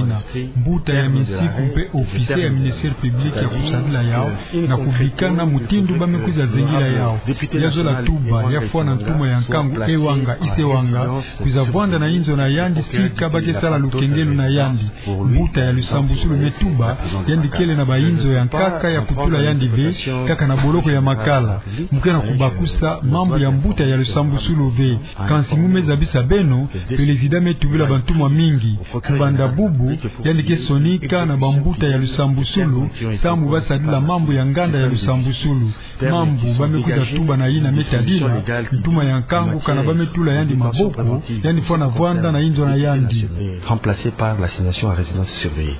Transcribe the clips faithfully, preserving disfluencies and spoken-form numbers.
yina. Mbuta ya minsiku mpe officier ya ministère public ya kusadila yau, na kubikana mutindu ba me kwiza zengila yau. Ya zola tuba, ya fwana ntuma ya nkangu Ewanga Isewanga kwiza vwanda na inzo na yandi sika ba ke sala lukengelu na yandi. Mbuta ya lusambusulu me tuba, yandi kele na ba inzo ya nkaka ya kutula yandi ve, kaka na boloko ya Makala. Mu ke na kubakusa mambu ya mbuta ya lusambusulu ve. Kansi mu me zabisa beno, président me tubila bantumwa mingi. Kubanda bubu, yandi ke sonika na bambuta ya lusambusulu samu ba sadila mambu ya nganda ya lusambusulu. Mambu ba me kwiza tuba na yina me tadila, ntuma ya nkangu kana ba me tula yandi maboko, yandi fwana vwanda na inzo na yandi. Remplacé par l'assignation à résidence surveillée.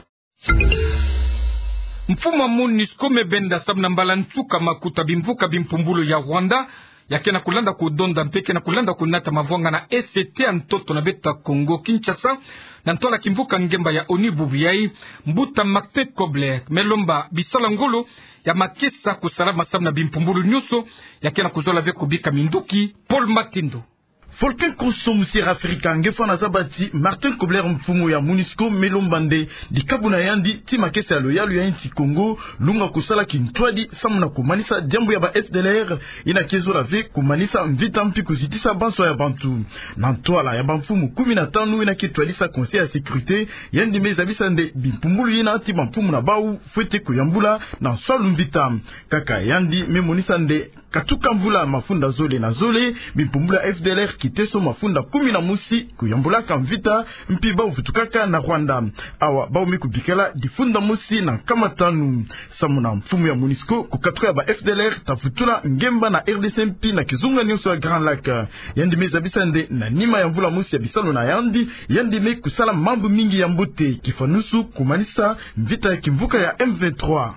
Mfumu ya MONUSCO me benda samu na mbala nsuka makuta bimvuka bimpumbulu ya Rwanda, ya ke na kulanda kudonda mpe ke na kulanda kunata mavwanga na E C T ya ntoto na beto ya Kongo Kinshasa, na ntwala kimvuka ngemba ya ONU bubu yayi. Mbuta Martin Kobler me lomba bisala ngolo ya makesa kusala masamu na bimpumbulu nyonso, ya ke na kuzola ve kubika minduki. Paul Matindo. Volcan Kosso, musi Afrika, nge fwana zaba ti Martin Kobler, mfumu ya MONUSCO, me lomba nde dikabu na yandi ti makesa ya loyalu ya insi Kongo, lunga kusala kintwadi samu na kumanisa diambu ya ba F D L R, yina ke zola ve kumanisa mvita mpi kuzitisa bansoni ya bantu. Na ntwala ya bamfumu kumi na tanu yina ke twadisa Conseil ya Sécurité, yandi me zabisa nde bimpumbulu yina ti bamfumu na bau fwete kuyambula na nswalu mvita. Kaka yandi me monisa nde Katuka mvula mafunda zole na zole, bimpumbulu ya F D L R kiteso mafunda kumi na mosi kuyambulaka mvita, mpi bau vutukaka na Rwanda. Awa bau me kubikala difunda mosi na nkama tanu. Samu na mfumu ya MONUSCO, kukatuka ya ba F D L R ta vutula ngemba na R D C mpi na kizunga nionso ya Grand Lac. Yandi me zabisa nde na nima ya mvula mosi ya bisalu na yandi, yandi me kusala mambu mingi ya mbote, kifanusu kumanisa mvita ya kimvuka ya M vingt-trois.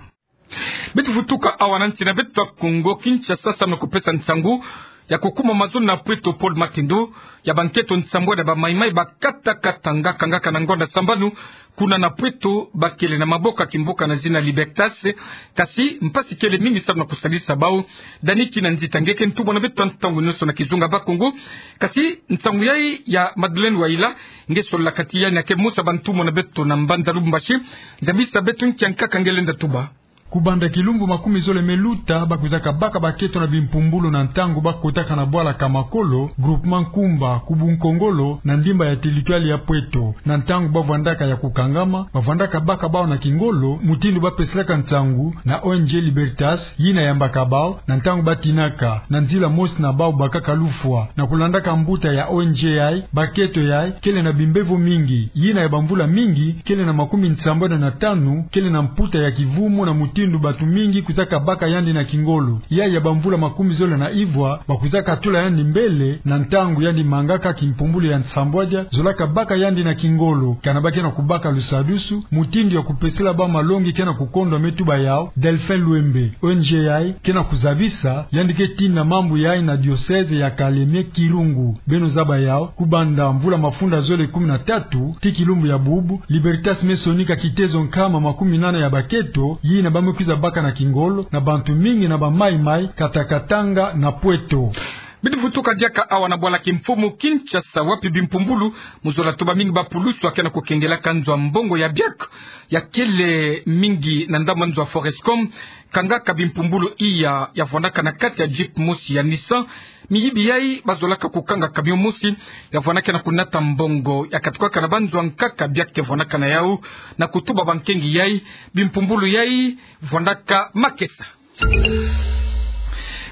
Beto vutuka awa na nsi na beto ya Kongo Kinshasa, samu na kupesa nsangu ya kukuma mazono na Pweto Paul Matendo ya banketo nsambwadi ya ba Maï-Maï bakata katanga kangaka na ngonda sambanu kuna na Pweto, bakele na maboko ya kimboka na zina Libertas. Kasi mpasi kele mingi samu na kusalisa bau. Dani Kinanzita nge ke ntumwa na beto ya ntangu nionso na kizunga Bakongo. Kasi nsangu yai ya Madeleine Waila nge sololaka ti yandi ya ke mosi ya bantumwa na beto na mbanza Lubumbashi. Zabisa beto nki ya nkaka nge lenda tuba. Kubanda kilumbu makumi zole me luta, bakwizaka baka baketo na bimpumbulu na ntangu bakotaka na bwala Kamakolo, groupement Nkumba, ku Bunkongolo, na ndimba ya territoire ya Pweto. Na ntangu bavwandaka ya kukangama, bavwandaka baka bau na kingolo, mutindu bapeselaka nsangu na O N G Libertas, yina yambaka bau, na ntangu batinaka na nzila mosi na bau bakaka lufwa. Na kulandaka mbuta ya O N G yai, baketo yai kele na bimbevo mingi. Yina ya bamvula mingi, kele na makumi nsambwadi na tanu, kele na mputa ya kivumu na mutindu bantu mingi kwizaka baka yandi na kingolo. Yai ya bamvula makumi zole na ivwa, bakwizaka tula yandi mbele na ntangu yandi mangaka kimpumbulu ya nsambwadia zolaka baka yandi na kingolo. Kana bake na kubaka lusadusu, mutindu ya kupesela bau malongi ke na kukondwa, me tuba yau Delphin Luembe. O N G yai ke na kuzabisa, yandi ke tina mambu yai na diocèse ya Kalemie-Kirungu. Beno zaba yau, kubanda mvula mafunda zole kumi na tatu, tii kilumbu ya bubu, Libertas me sonika kitezo nkama makumi nana ya baketo, yina ba me kwiza baka na kingolo na bantu mingi na ba Maï-Maï, kata Katanga na Pweto. Beto vutuka diaka awa na bwala kimfumu Kinshasa, wapi bimpumbulu, mu zola tuba, mingi bapulusu ya ke na kukengelaka nzo ya mbongo ya biak, ya kele mingi na ndambu ya nzo ya Forescom, kangaka bimpumbulu iya ya vwandaka na kati ya Jeep mosi ya Nissan. Miyibi yai bazolaka kukanga camion mosi ya vwandaka na kunata mbongo ya katukaka na banzo ya nkaka biak ke vwandaka na yau, na kutuba bankengi yai, bimpumbulu yai vwandaka makesa.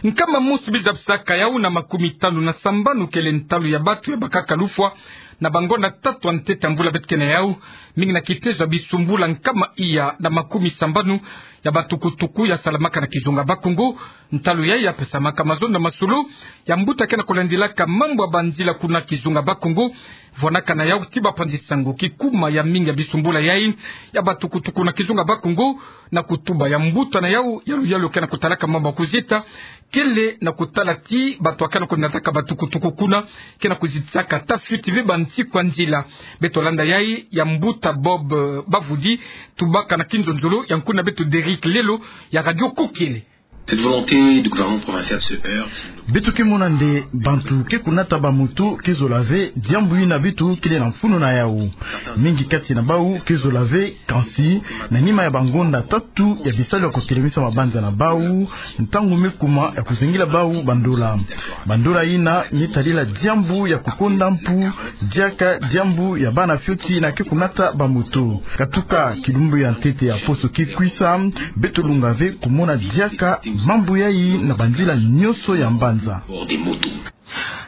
Nkama mosi bizabisaka yau na makumi tanu na sambanu kele ntalu ya bantu ya bakaka lufwa na bangonda tatu ya ntete ya mvula beto ke na yau, mingi na kitezo ya bisumbula nkama iya na makumi sambanu ya batukutuku ya salamaka na kizunga Bakongo. Ntalu yai ya pesamaka mazono na masolo ya mbuta ke na kulandilaka mambu ya banzila kuna kizunga Bakongo. Vwandaka na yau ti bapanzi-sango kikuma ya mingi ya bisumbula yai ya batukutuku na kizunga Bakongo, na kutuba ya mbuta na yau ya luyalu ke na kutalaka mambu ya kuzita, kele na kutala ti bantu ya ke na kunataka batukutuku kuna ke na kuzitisaka ata fuite ve bansiku ya nzila. Beto landa yai ya mbuta Bob, eh, Bavudi, tubaka na kinzonzolo ya nkuna beto Derrick Lelo ya Radio Kokiele. Cette volonté du gouvernement provincial se heurte. Beto ke mona nde bantu ke kunata bamoto ke zola ve diambu yina beto kele na mfunu na yau. Mingi kati na bau ke zola ve, kansi na nima ya bangonda tatu ya bisalu ya kutelemisa mabanza na bau, ntangu me kuma ya kuzengila bau bandola. Bandola yina me tadila diambu ya kukonda mpu, diaka diambu ya bana fioti yina ke kunata bamoto. Katuka kilumbu ya ntete ya poso ke kwisa, beto lunga ve kumona diaka mambu yai na banzila nionso ya mbanza.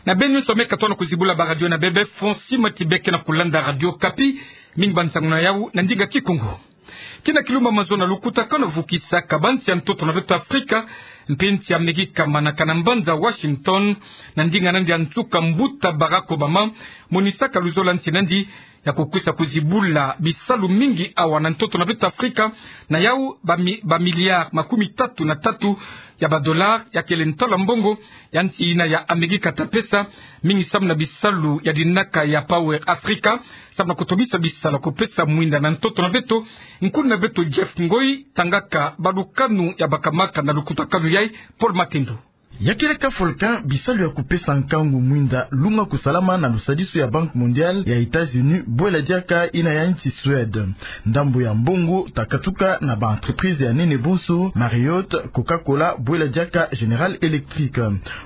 Na beno nionso me katuka na kuzibula ba radio na bebe, Fonsi Matibe ke na kulanda Radio Okapi, mingi bansangu na yau na ndinga Kikongo. Kina kilumbu ya mazono, lukutakanu vukisaka bansi ya ntoto na beto Afrika mpe nsi ya Amerika manaka na mbanza Washington, na ndinga na yandi ya nsuka, mbuta Barack Obama monisaka luzolo ya nsi na yandi ya kukwisa kuzibula bisalu mingi awa na ntoto na beto Afrika. Na yau ba mi-, ba milliards makumi tatu na tatu ya ba dollars ya kele ntalu ya mbongo ya nsi yina ya Amerika ta pesa, mingi samu na bisalu ya dinaka ya Power Africa, samu na kutobisa bisalu ya kupesa mwinda na ntoto na beto. Nkuna beto Jeff Ngoi tangaka balukanu ya bakamaka na lukutakanu yai, Paul Matendo. Ya kele ka volcan, bisalu ya kupesa nkangu mwinda lunga kusalama na lusadisu ya Banque Mondiale, ya États-Unis, bwela diaka yina ya nsi Suède. Ndambu ya mbongo ta katuka na ba entreprises ya nene bonso, Marriott, Coca-Cola, bwela diaka General Electric.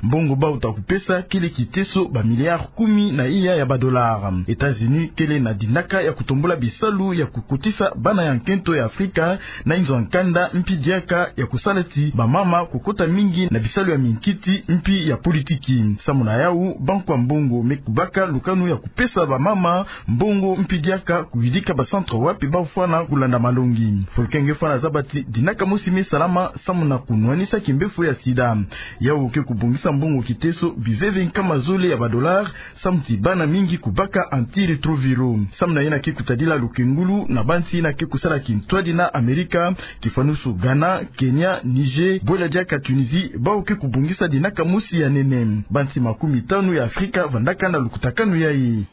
Mbongo bau ta kupesa kele kiteso ba milliards kumi na iya ya ba dollars. États-Unis kele na dinaka ya kutombula bisalu ya kukotisa bana ya nkento ya Afrika na inzo ya nkanda, mpi diaka ya kusala ti bamama kukota mingi na bisalu ya mingi. kiti mpi ya politiki. Samu na yawu, bankwa mbongo me kubaka lukanu ya kupesa bamama mbongo mpi diaka kuyidika ba centre wapi bafwana kulanda malongi. Folke nge fwana zaba ti dinaka mosi me salama samu na kunwanisa kimbefu ya sida. Yawu ke kubongisa mbongo kiteso biveve nkama zole ya ba dollars, samu ti bana mingi kubaka antirétroviraux. Samu na yina ke kutadila lukengulu na bansi yina ke kusala kintwadi na Amerika, kifwanusu Ghana, Kenya, Niger, bwela diaka Tunisie, bawu ke kubongisa dinaka mosi ya nene. Bansi makumi tanu ya Afrika vandaka na lukutakanu yayi.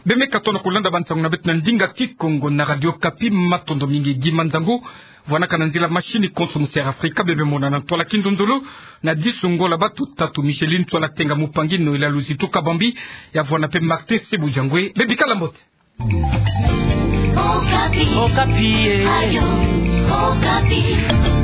Bemeka tona kulanda bansangu na beto na ndinga Kikongo na Radio Okapi, matondo mingi. Gi manzangu vwanaka na nzila machine konso mu Sierra Africa, bebe monana ntwala Kindondolo, na disu Ngola, bato tatu, Micheline Ntwala Tenga, mupangi Noëlla Luzitu Kabambi, ya vwana pe Martin Sebujangwe, bebika la mbote. Okapi. Okapi, eh. Radio Okapi.